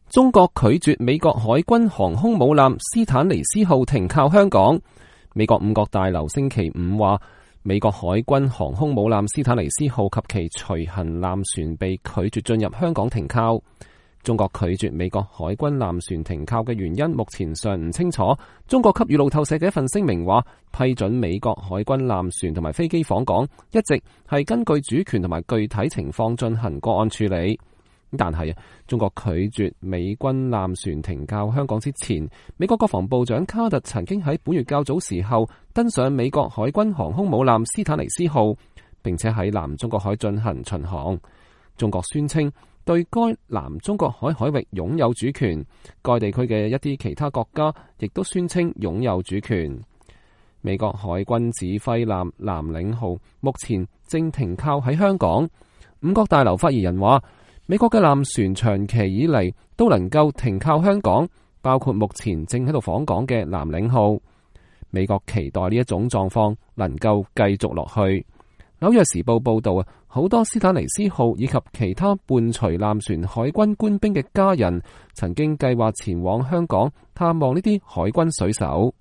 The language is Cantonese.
中國拒絕美國海軍航空母艦斯坦尼斯號停靠香港。美國五角大樓星期五話，美國海軍航空母艦斯坦尼斯號及其隨行艦船被拒絕進入香港停靠。中國拒絕美國海軍艦船停靠嘅原因目前尚唔清楚。中國給予路透社嘅一份聲明話，批准美國海軍艦船同埋飛機訪港，一直係根據主權同埋具體情況進行個案處理。但係中國拒絕美軍艦船停靠香港之前，美國國防部長卡特曾經喺本月較早時候登上美國海軍航空母艦斯坦尼斯號，並且喺南中國海進行巡航。中國宣稱對該南中國海海域擁有主權，該地區嘅一啲其他國家亦都宣稱擁有主權。美國海軍指揮艦藍領號目前正停靠喺香港。五角大樓發言人話，美國嘅艦船長期以嚟都能夠停靠香港，包括目前正喺度訪港嘅藍領號。美國期待呢一種狀況能夠繼續落去。紐約時報報道好多斯坦尼斯號以及其他伴隨艦船海軍官兵嘅家人曾經計劃前往香港探望呢啲海軍水手。